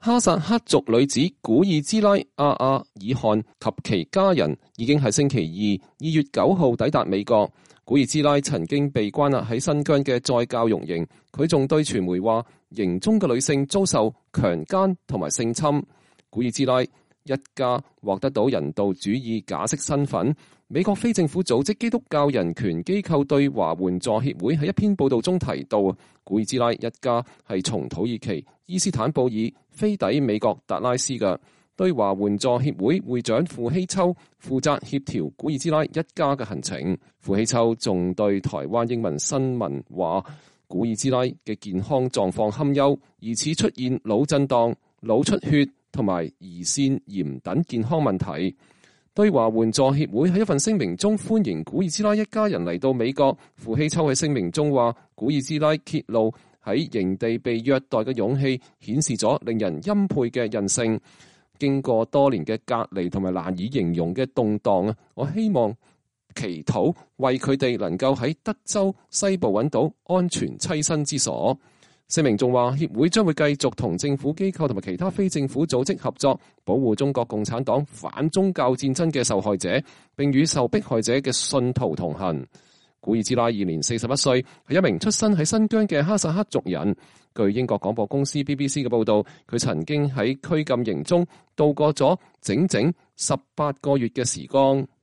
哈薩克族女子古爾茲拉·阿阿爾汗及其家人已經喺星期二2月9號抵達美國。古爾茲拉曾經被關押喺新疆嘅再教育營，佢仲對傳媒話，營中嘅女性遭受強姦同埋性侵。古爾茲拉一家獲得到人道主義假釋身份。美國非政府組織基督教人權機構對華援助協會喺一篇報道中提到，古爾茲拉一家係從土耳其伊斯坦布爾飛抵美國達拉斯嘅。對華援助協會會長傅希秋負責協調古爾茲拉一家嘅行程。傅希秋仲對台灣英文新聞話，古爾茲拉嘅健康狀況堪憂，疑似出現腦震盪、腦出血同埋胰腺炎等健康問題。對華援助協會喺一份聲明中歡迎古爾茲拉一家人嚟到美國。傅希秋喺聲明中話，古爾茲拉揭露喺營地被虐待嘅勇氣，顯示咗令人欽佩嘅韌性。經過多年嘅隔離同埋難以形容嘅動盪，我希望祈禱為佢哋能夠喺德州西部揾到安全棲身之所。聲明仲話，協會將會繼續同政府機構同埋其他非政府組織合作，保護中國共產黨反宗教戰爭嘅受害者，並與受迫害者嘅信徒同行。古爾茲拉現年41歲，係一名出生喺新疆嘅哈薩克族人。據英國廣播公司 BBC 嘅報導，佢曾經喺拘禁營中度過咗整整18個月嘅時光。